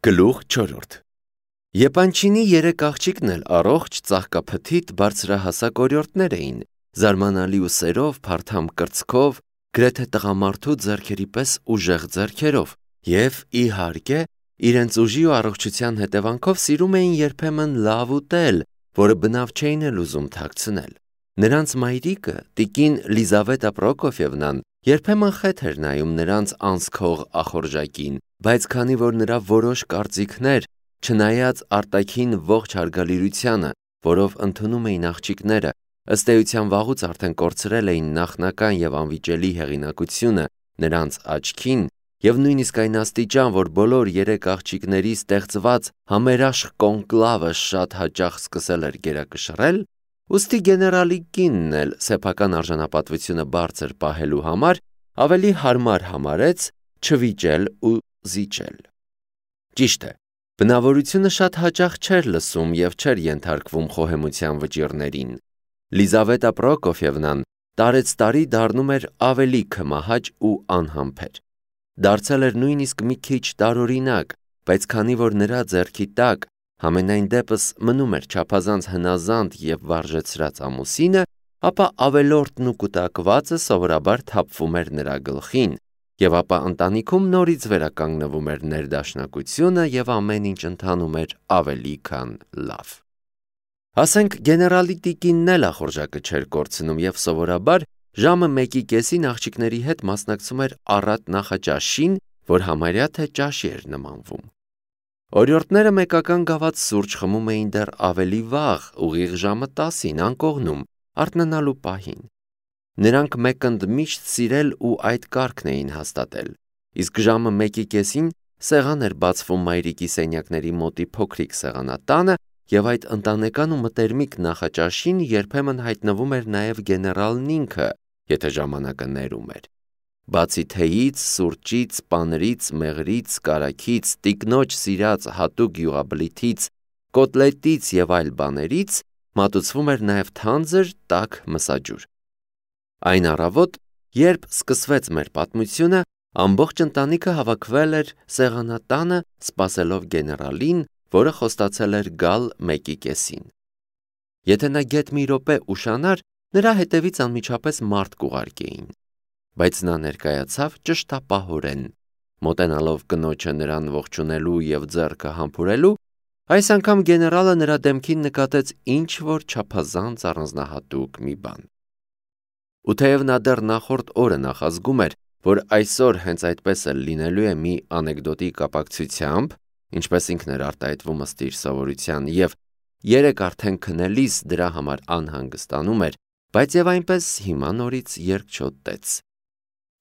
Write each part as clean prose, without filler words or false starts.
Գլուխ 4 Եպանչինի երեք աղջիկն էլ առողջ ծաղկափթիթ բարձրահասակ օրիորդներ էին, զարմանալի ուսերով, փարթամ կրծքով, գրեթե տղամարդու ձեռքերի պես ուժեղ ձեռքերով, և իհարկե, իրենց ուժի ու առողջության հետևանքով սիրում էին երբեմն լավ ուտել, որը բնավ չէին էլ ուզում թաքցնել։ Նրանց մայրիկը, տիկին Լիզավետա Պրոկոֆևնան, երբեմն խեթ էր նայում նրանց անցքող ախորժակին, բայց քանի որ նրա որոշ կարծիքներ, չնայած արտաքին ողջ հարգալիրությանը, որով ընդունում էին աղջիկները, ըստ էության վաղուց արդեն կորցրել էին նախնական և անվիճելի հեղինակությունը նրանց աչքին, և նույնիսկ այն աստիճան, որ բոլոր երեք աղջիկների ստեղծված համերաշխ կոնկլավը շատ հաճախ սկսել էր գերակշռել, ուստի գեներալի կինն էլ սեփական արժանապատվությունը բարձր պահելու համար ավելի հարմար համարեց չվիճել ու զիջել։ Ճիշտ է, բնավորությունը շատ հաճախ չէր լսում և չէր ենթարկվում խոհեմության վճիռներին։ Լիզավետա Պրոկոֆևնան տարեցտարի դառնում էր ավելի քմահաճ ու անհամբեր։ Դարձել էր նույնիսկ մի քիչ տարօրինակ, բայց քանի որ նրա ձեռքի տակ համենայն դեպս մնում էր չափազանց հնազանդ և վարժեցրած ամուսինը, ապա ավելորդն ու կուտակվածը սովորաբար թափվում էր նրա գլխին, և ապա ընտանիքում նորից վերականգնվում էր ներդաշնակությունը և ամեն ինչ ընթանում էր ավելի քան լավ։ Ասենք գեներալի տիկինն էլ ախորժակը չէր կորցնում և սովորաբար ժամը 1:30-ին աղջիկների հետ մասնակցում էր առատ նախաճաշին, որ համարյա թե ճաշի էր նմանվում։ Օրիորդները մեկական գավաթ սուրճ խմում էին դեռ ավելի վաղ, ուղիղ ժամը 10-ին, անկողնում, արթնանալու պահին։ Նրանք մեկընդմիշտ սիրել ու այդ կարգն էին հաստատել, իսկ ժամը 1:30-ին սեղան էր բացվում մայրիկի սենյակների մոտի փոքրիկ սեղանատանը, և այդ ընտանեկան ու մտերմիկ նախաճաշին երբեմն հայտնվում էր նաև գեներալն ինքը, եթե ժամանակը ներում էր։ Բացի թեյից, սուրճից, պանրից, մեղրից, կարագից, տիկնոջ սիրած հատուկ յուղաբլիթից, կոտլետից և այլ բաներից մատուցվում էր նաև թանձր, տաք մսաջուր։ Այն առավոտ, երբ սկսվեց մեր պատմությունը, ամբողջ ընտանիքը հավաքվել էր սեղանատանը, սպասելով գեներալին, որը խոստացել էր գալ 1:30-ին։ Եթե նա գեթ մի րոպե ուշանար, նրա հետևից անմիջապես մարդ կուղարկեին, բայց նա ներկայացավ ճշտապահորեն, մոտենալով կնոջը նրան ողջունելու և ձեռքը համբուրելու, այս անգամ գեներալը նրա դեմքին նկատեց ինչ-որ չափազանց առանձնահատուկ մի բան։ Ու թեև նա դեռ նախորդ օրը նախազգում էր, որ այսօր հենց այդպես էլ լինելու է մի անեկդոտի կապակցությամբ, ինչպես ինքն էր արտահայտվում ըստ իր սովորության, և երեկ արդեն քնելիս դրա համար անհանգստանում էր, բայց և այնպես հիմա նորից երկչոտեց։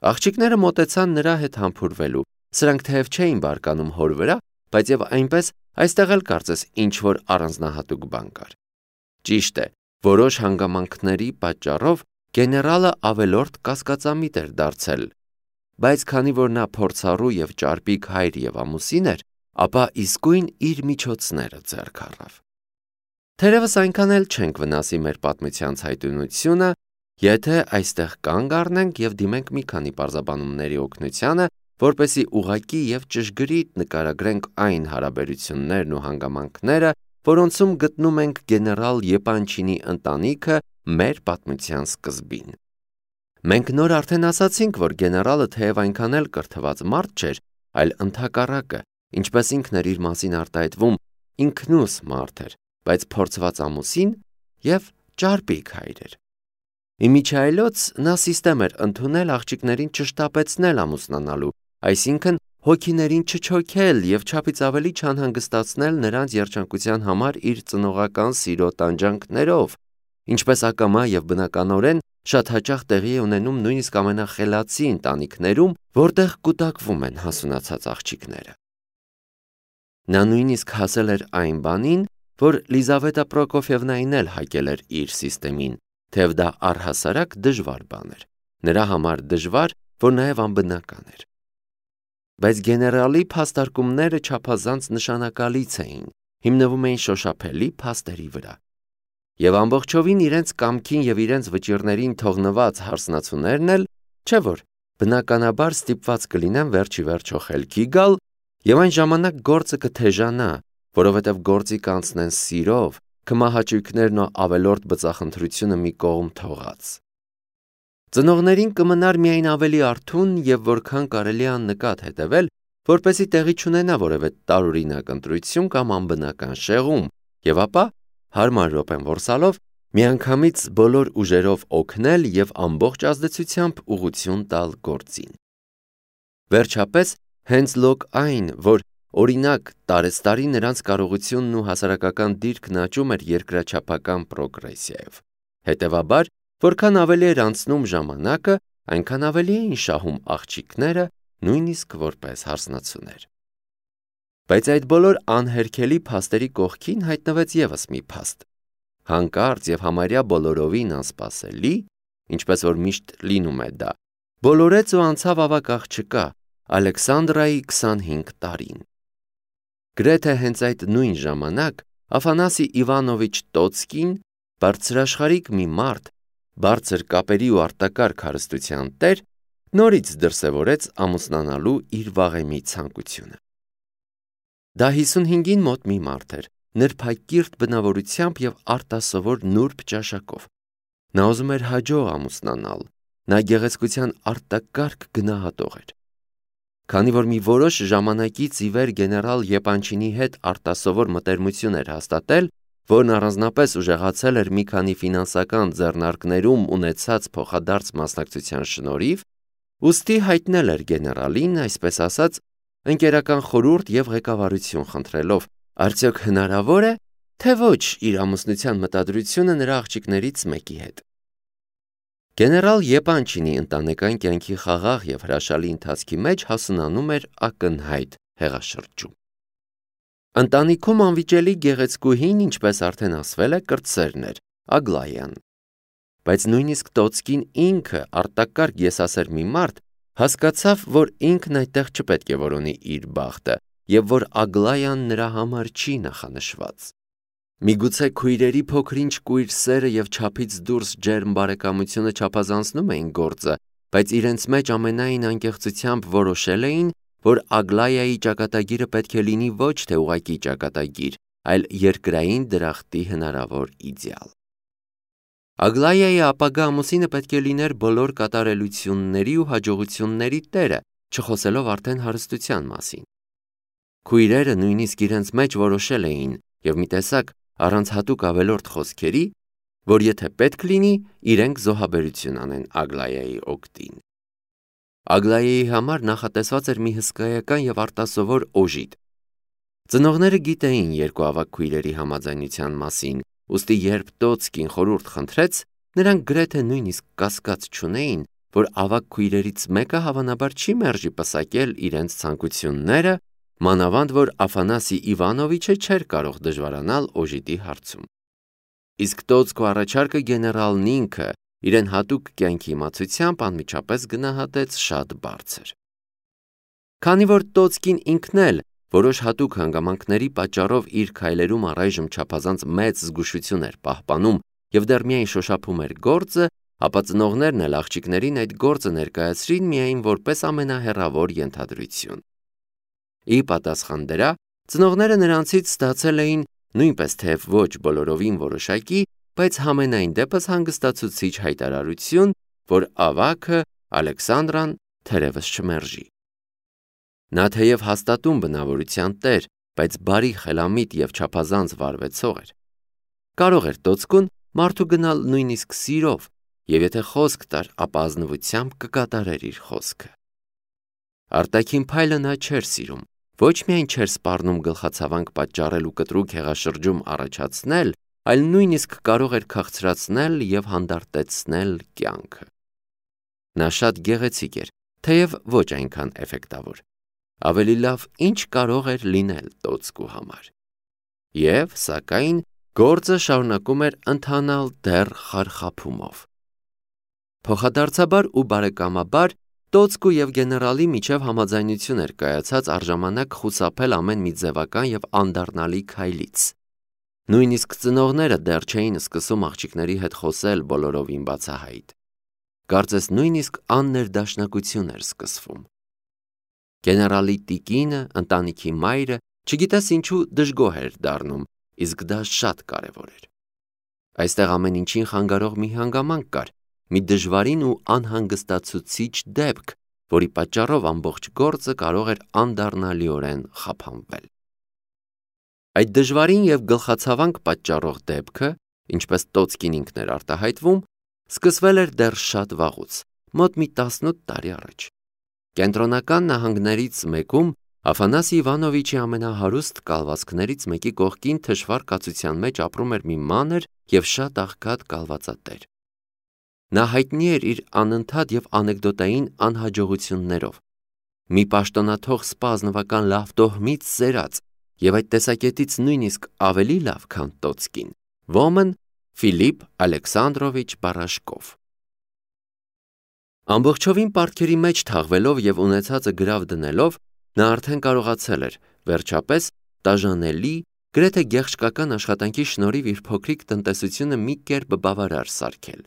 Աղջիկները մոտեցան նրա հետ համբուրվելու, սրանք թեև չէին բարկանում հոր վրա, բայց և այնպես այստեղ էլ կարծես ինչ-որ առանձնահատուկ բան կար։ Ճիշտ է, որոշ հանգամանքների պատճառով գեներալը ավելորդ կասկածամիտ էր դարձել, բայց քանի որ նա փորձառու և ճարպիկ հայր և ամուսին էր, ապա իսկույն իր միջոցները ձեռք առավ։ Թերևս այնքան էլ չենք վնասի մեր պատմության ցայտունությունը, եթե այստեղ կանգ առնենք և դիմենք մի քանի պարզաբանումների օգնությանը, որպեսզի ուղղակի և ճշգրիտ նկարագրենք այն հարաբերություններն ու հանգամանքները, որոնցում գտնում ենք գեներալ Եպանչինի ընտանիքը մեր պատմության սկզբին։ Մենք նոր արդեն ասացինք, որ գեներալը թեև այնքան էլ կրթված մարդ չէր, այլ ընդհակառակը, ինչպես ինքն էր իր մասին արտահայտվում, ինքնուս մարդ էր, բայց փորձված ամուսին և ճարպիկ հայր էր։ Իմիջիայլոց նա սիստեմ էր ընդունել աղջիկներին չշտապեցնել ամուսնանալու, այսինքն հոգիներին չչոքել և չափից ավելի չանհանգստացնել նրանց երջանկության համար իր ծնողական սիրո տանջանքներով, ինչպես ակամա և բնականորեն շատ հաճախ տեղի է ունենում նույնիսկ ամենախելացի ընտանիքներում, որտեղ կուտակվում են հասունացած աղջիկները։ Նա նույնիսկ հասել էր այն բանին, որ Լիզավետա Պրոկոֆևնային էլ հակել էր իր սիստեմին, թեև դա առհասարակ դժվար բան էր, նրա համար դժվար, որ նաև անբնական էր։ Բայց գեներալի փաստարկումները չափազանց նշանակալից էին, հիմնվում էին շոշափելի փաստերի վրա։ Եվ ամբողջովին իրենց կամքին և իրենց վճիռներին թողնված հարսնացուներն էլ, չէ՞ որ բնականաբար ստիպված կլինեն վերջ ի վերջո խելքի գալ Եվ այն ժամանակ գործը կթեժանա, որովհետև գործի կանցնեն սիրով, քմահաճույքներն ու ավելորդ բծախնդրությունը մի կողմ թողած։ Ծնողներին կմնար միայն ավելի արթուն և որքան կարելի աննկատ հետևել, որպեսզի տեղի չունենա որևէ տարօրինակ ընտրություն կամ անբնական շեղում, և ապա հարմար րոպեն որսալով միանգամից բոլոր ուժերով օգնել և ամբողջ ազդեցությամբ ուղղություն տալ գործին։ Վերջապես, հենց լոկ այն, որ օրինակ տարեցտարի նրանց կարողությունն ու հասարակական դիրքն աճում էր երկրաչափական պրոգրեսիայով։ Հետևաբար, որքան ավելի էր անցնում ժամանակը, այնքան ավելի էին շահում աղջիկները, նույնիսկ որպես հարսնացուներ։ Բայց այդ բոլոր անհերքելի փաստերի կողքին հայտնվեց ևս մի փաստ։ Հանկարծ և համարյա բոլորովին անսպասելի, ինչպես որ միշտ լինում է դա, բոլորեց ու անցավ ավագ աղջկա Ալեքսանդրայի 25 տարին։ Գրեթե հենց այդ նույն ժամանակ Աֆանասի Իվանովիչ Տոցկին, բարձրաշխարհիկ մի մարդ, բարձր կապերի ու արտակարգ հարստության տեր, նորից դրսևորեց ամուսնանալու իր վաղեմի ցանկությունը։ Դա 55-ին մոտ մի մարդ էր, նրբակիրթ բնավորությամբ և արտասովոր նուրբ ճաշակով։ Նա ուզում էր հաջող ամուսնանալ, նա գեղեցկության արտակարգ գնահատող էր։ Քանի որ մի որոշ ժամանակից ի վեր գեներալ Եպանչինի հետ արտասովոր մտերմություն էր հաստատել, որն առանձնապես ուժեղացել էր մի քանի ֆինանսական ձեռնարկներում ունեցած փոխադարձ մասնակցության շնորհիվ, ուստի հայտնել էր գեներալին, այսպես ասած, ընկերական խորհուրդ և ղեկավարություն խնդրելով, արդյոք հնարավոր է, թե ոչ իր ամուսնության մտադրությունը նրա աղջիկներից մեկի հետ։ Գեներալ Եպանչինի ընտանեկան կյանքի խաղաղ և հրաշալի ընթացքի մեջ հասունանում էր ակնհայտ հեղաշրջում։ Ընտանիքում անվիճելի գեղեցկուհին, ինչպես արդեն ասվել է, կրտսերն էր, Ագլայան։ Բայց նույնիսկ Տոցկին ինքը, արտակարգ եսասեր մի մարդ, հասկացավ, որ ինքն այդտեղ չպետք է որոնի իր բախտը, և որ Ագլայան նրա համար չի նախանշված։ Միգուցե քույրերի փոքր-ինչ կույր սերը և չափից դուրս ջերմ բարեկամությունը չափազանցնում էին գործը, բայց իրենց մեջ ամենայն անկեղծությամբ որոշել էին, որ Ագլայայի ճակատագիրը պետք է լինի ոչ թե ուղղակի ճակատագիր, այլ երկրային դրախտի հնարավոր իդեալ։ Ագլայայի ապագա ամուսինը պետք է լիներ բոլոր կատարելությունների ու հաջողությունների տերը, չխոսելով արդեն հարստության մասին։ Քույրերը նույնիսկ իրենց մեջ որոշել էին և մի տեսակ առանց հատուկ ավելորդ խոսքերի, որ եթե պետք լինի, իրենք զոհաբերություն անեն Ագլայայի օգտին։ Ագլայայի համար նախատեսված էր մի հսկայական և արտասովոր օժիտ։ Ծնողները գիտեին երկու ավագ քույրերի համաձայնության մասին, ուստի երբ Տոցկին խորհուրդ խնդրեց, նրանք գրեթե նույնիսկ կասկած չունեին, որ ավագ քույրերից մեկը հավանաբար չի մերժի պսակել իրենց ցանկությունները, մանավանդ որ Աֆանասի Իվանովիչը չէր կարող դժվարանալ օժիտի հարցում։ Իսկ Տոցկու առաջարկը գեներալն ինքը իրեն հատուկ կյանքի իմացությամբ անմիջապես գնահատեց շատ բարձր։ Քանի որ Տոցկին ինքն էլ որոշ հատուկ հանգամանքների պատճառով իր քայլերում առայժմ չափազանց մեծ զգուշություն էր պահպանում և դեռ միայն շոշափում էր գործը, ապա ծնողներն էլ աղջիկներին այդ գործը ներկայացրին միայն որպես ամենահեռավոր ենթադրություն։ Ի պատասխան դրա, ծնողները նրանցից ստացել էին նույնպես թեև ոչ բոլորովին որոշակի, բայց համենայն դեպս հանգստացուցիչ հայտարարություն, որ ավագը Ալեքսանդրան թերևս չմերժի։ Նա թեև հաստատուն բնավորության տեր, բայց բարի խելամիտ և չափազանց վարվեցող էր։ Կարող էր Տոցկուն մարդու գնալ նույնիսկ սիրով, և եթե խոսք տար, ապա ազնվությամբ կկատարեր իր խոսքը։ Արտաքին փայլը նա չէր սիրում, ոչ միայն չէր սպառնում գլխացավանք պատճառել ու կտրուկ հեղաշրջում առաջացնել, այլ նույնիսկ կարող էր քաղցրացնել և հանդարտեցնել կյանքը։ Նա շատ գեղեցիկ էր, թեև ոչ այնքան էֆեկտավոր։ Ավելի լավ ինչ կարող էր լինել Տոցկու համար։ Եվ, սակայն, գործը շարունակում էր ընթանալ դեռ խարխափումով։ Փոխադարձաբար ու բարեկամաբար Տոցկու և գեներալի միջև համաձայնություն էր կայացած առժամանակ խուսափել ամեն մի ձևական և անդառնալի քայլից։ Նույնիսկ ծնողները դեռ չէին սկսում աղջիկների հետ խոսել բոլորովին բացահայտ։ Կարծես նույնիսկ աններդաշնակություն էր սկսվում։ Գեներալի տիկինը, ընտանիքի մայրը, չգիտես ինչու դժգոհ էր դառնում, իսկ դա շատ կարևոր էր։ Այստեղ ամեն ինչին խանգարող մի հանգամանք կար, մի դժվարին ու անհանգստացուցիչ դեպք, որի պատճառով ամբողջ գործը կարող էր անդառնալիորեն խափանվել։ Այդ դժվարին և գլխացավանք պատճառող դեպքը, ինչպես Տոցկին ինքն էր արտահայտվում, սկսվել էր դեռ շատ վաղուց, մոտ մի 18 տարի առաջ։ Կենտրոնական նահանգներից մեկում Աֆանասի Իվանովիչի ամենահարուստ կալվածքներից մեկի կողքին թշվառ կացության մեջ ապրում էր մի մանր և շատ աղքատ կալվածատեր։ Նա հայտնի էր իր անընդհատ և անեկդոտային անհաջողություններով, մի պաշտոնաթող սպա ազնվական լավ տոհմից սերած և այդ տեսակետից նույնիսկ ավելի լավ, քան Տոցկին, ոմն Ֆիլիպ Ալեքսանդրովիչ Բարաշկով։ Ամբողջովին պարտքերի մեջ թաղվելով և ունեցածը գրավ դնելով, նա արդեն կարողացել էր, վերջապես, տաժանելի, գրեթե գեղչկական աշխատանքի շնորհիվ իր փոքրիկ տնտեսությունը մի կերպ բավարար սարքել։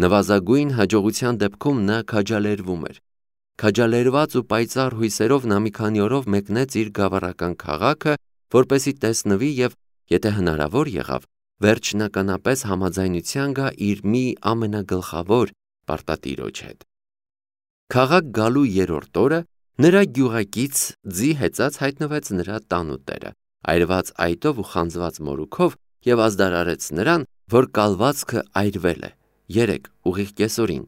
Նվազագույն հաջողության դեպքում նա քաջալերվում էր։ Քաջալերված ու պայծառ հույսերով նա մի քանի օրով մեկնեց իր գավառական քաղաքը, որպեսզի տեսնվի և, եթե հնարավոր եղավ, վերջնականապես համաձայնության գա իր մի ամենագլխավոր պարտատիրոջ հետ։ Քաղաք գալու երրորդ օրը նրա գյուղակից ձի հեծած հայտնվեց նրա տանուտերը, այրված այտով ու խանձված մորուքով և ազդարարեց նրան, որ կալվածքը այրվել է, երեկ ուղիղ կեսօրին,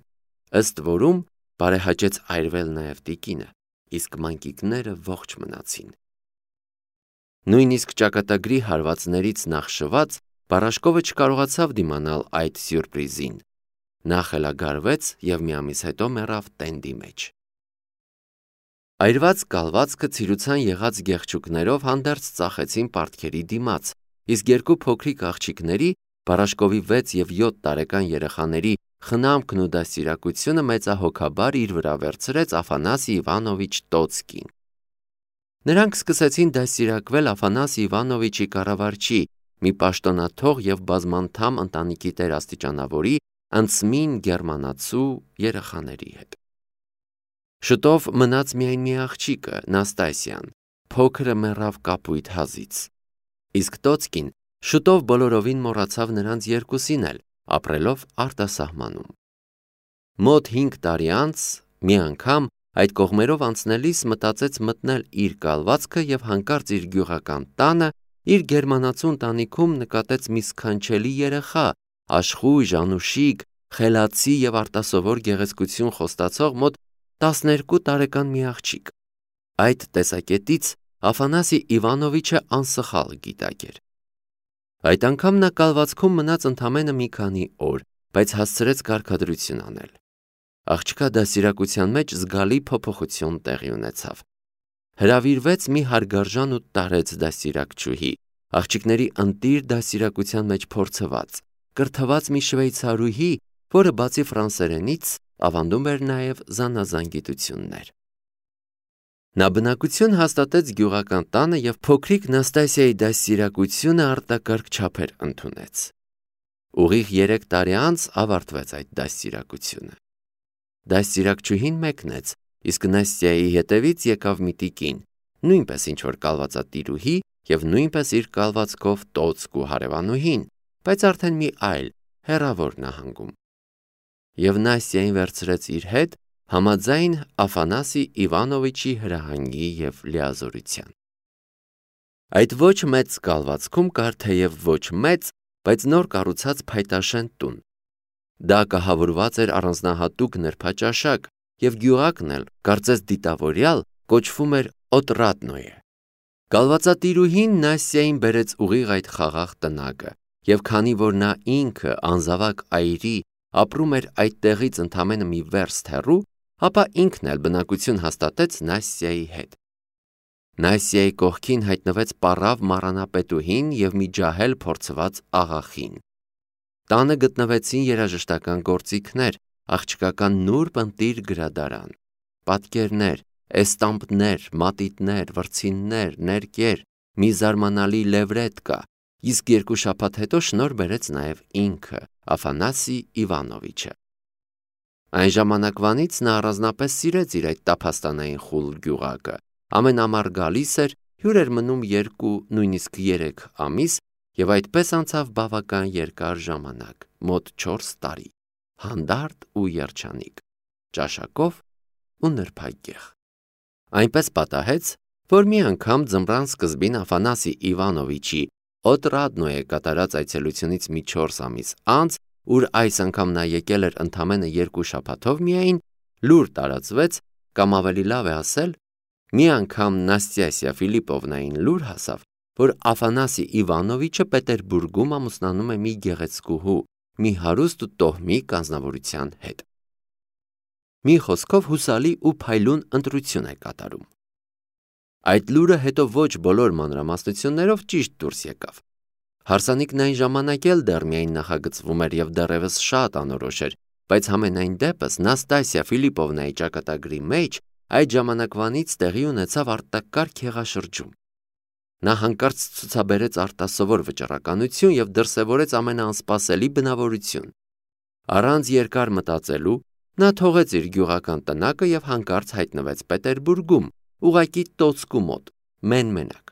ըստ որում բարեհաճեց այրվել նաև տիկինը, իսկ մանկիկները ողջ մնացին։ Նույնիսկ ճակատագրի հարվածներից նախշված Բարաշկովը չկարողացավ դիմանալ այդ սյուրպրիզին։ Նա խելագարվեց և մի ամիս հետո մեռավ տենդի մեջ։ Այրված կալվածքը ցիրուցան եղած գեղչուկներով հանդերձ ծախեցին պարտքերի դիմաց, իսկ երկու փոքրիկ աղջիկների, Բարաշկովի 6 և 7 տարեկան երեխաների խնամքն ու դաստիարակությունը մեծահոգաբար իր վրա վերցրեց Աֆանասի Իվանովիչ Տոցկին։ Նրանք սկսեցին դաստիարակվել Աֆանասի Իվանովիչի կառավարչի, մի պաշտոնաթող և բազմանդամ ընտանիքի տեր-աստիճանավորի, անցմին գերմանացու երեխաների հետ։ Շուտով մնաց միայն մի աղջիկը, Նաստասիան, փոքրը մեռավ կապույտ հազից, իսկ Տոցկին շուտով բոլորովին մոռացավ նրանց երկուսին էլ, ապրելով արտասահմանում։ Մոտ 5 տարի անց մի անգամ այդ կողմերով անցնելիս մտածեց մտնել իր կալվածքը և հանկարծ իր գյուղական տանը, իր գերմանացու ընտանիքում նկատեց մի սքանչելի երեխա, աշխույժ, անուշիկ, խելացի և արտասովոր գեղեցկություն խոստացող մոտ 12 տարեկան մի աղջիկ։ Այդ տեսակետից Աֆանասի Իվանովիչը անսխալ գիտակ էր։ Այդ անգամ նա կալվածքում մնաց ընդամենը մի քանի օր, բայց հասցրեց կարգադրություն անել։ Աղջկա դաստիարակության մեջ զգալի փոփոխություն տեղի ունեցավ։ Հրավիրվեց մի հարգարժան ու տարեց դաստիարակչուհի, աղջիկների ընտիր դաստիարակության մեջ փորձված, կրթված մի շվեյցարուհի, որը բացի ֆրանսերենից ավանդում էր նաև զանազան գիտություններ։ Նա բնակություն հաստատեց գյուղական տանը և փոքրիկ Նաստասիայի դաստիարակությունը արտակարգ չափեր ընդունեց։ Ուղիղ 3 տարի անց ավարտվեց այդ դաստիարակությունը։ Դաստիարակչուհին մեկնեց, իսկ Նաստյայի հետևից եկավ մի տիկին, նույնպես ինչ-որ կալվածատիրուհի և նույնպես իր կալվածքով տոցք ու հարևանուհին, բայց արդեն մի այլ, հեռավոր նահանգում։ Եվ Նաստյային վերցրեց իր հետ համաձայն Աֆանասի Իվանովիչի հրահանգի և լիազորության։ Այդ ոչ մեծ կալվածքում կար թեև ոչ մեծ, բայց նոր կառուցած փայտաշեն տուն։ Դա կահավորված էր առանձնահատուկ նրբաճաշակ և գյուղակն էլ, կարծես դիտավորյալ, կոչվում էր Օտրատնոյե։ Կալվածատիրուհին Նաստյային բերեց ուղիղ այդ խաղաղ տնակը, և քանի որ նա ինքը անզավակ այրի ապրում էր այդ տեղից ընդամենը մի վերստ հեռու, ապա ինքն էլ բնակություն հաստատեց Նաստյայի հետ։ Նաստյայի կողքին հայտնվեց պառավ մառանապետուհին և մի ջահել փորձված աղախին։ Տանը գտնվեցին երաժշտական գործիքներ, աղջկական նուրբ ընտիր գրադարան, պատկերներ, էստամպներ, մատիտներ, վրձիններ, ներկեր, մի զարմանալի լևրետ կա, իսկ 2 շաբաթ հետո շնորհ բերեց նաև ինքը, Աֆանասի Իվանովիչը։ Այն ժամանակվանից նա առանձնապես սիրեց իր այդ տափաստանային խուլ գյուղակը, ամեն ամառ գալիս էր, հյուր էր մնում 2, նույնիսկ 3 ամիս և այդպես անցավ բավական երկար ժամանակ, մոտ 4 տարի, հանդարտ ու երջանիկ, ճաշակով ու նրբագեղ։ Այնպես պատահեց, որ մի անգամ ձմռան սկզբին Աֆանասի Իվանովիչի Օտրադնոյե կատարած այցելությունից մի 4 ամիս անց, ուր այս անգամ նա եկել էր ընդամենը 2 շաբաթով միայն, լուր տարածվեց, կամ ավելի լավ է ասել, մի անգամ Նաստասիա Ֆիլիպովնային լուր հասավ, որ Աֆանասի Իվանովիչը Պետերբուրգում ամուսնանում է մի գեղեցկուհու, մի հարուստ ու տոհմիկ անձնավորության հետ։ Մի խոսքով հուսալի ու փայլուն ընտրություն է կատարում։ Այդ լուրը հետո ոչ բոլոր մանրամասնություններով ճիշտ դուրս եկավ։ Հարսանիքն այն ժամանակ էլ դեռ միայն նախագծվում էր և դեռևս շատ անորոշ էր, բայց համենայն դեպս Նաստասիա Ֆիլիպովնայի ճակատագրի մեջ այդ ժամանակվանից տեղի ունեցավ արտակարգ հեղաշրջում։ Նա հանկարծ ցուցաբերեց արտասովոր վճռականություն և դրսևորեց ամենաանսպասելի բնավորություն։ Առանց երկար մտածելու նա թողեց իր գյուղական տնակը և հանկարծ հայտնվեց Պետերբուրգում, ուղղակի տոցկու մոտ, մեն-մենակ։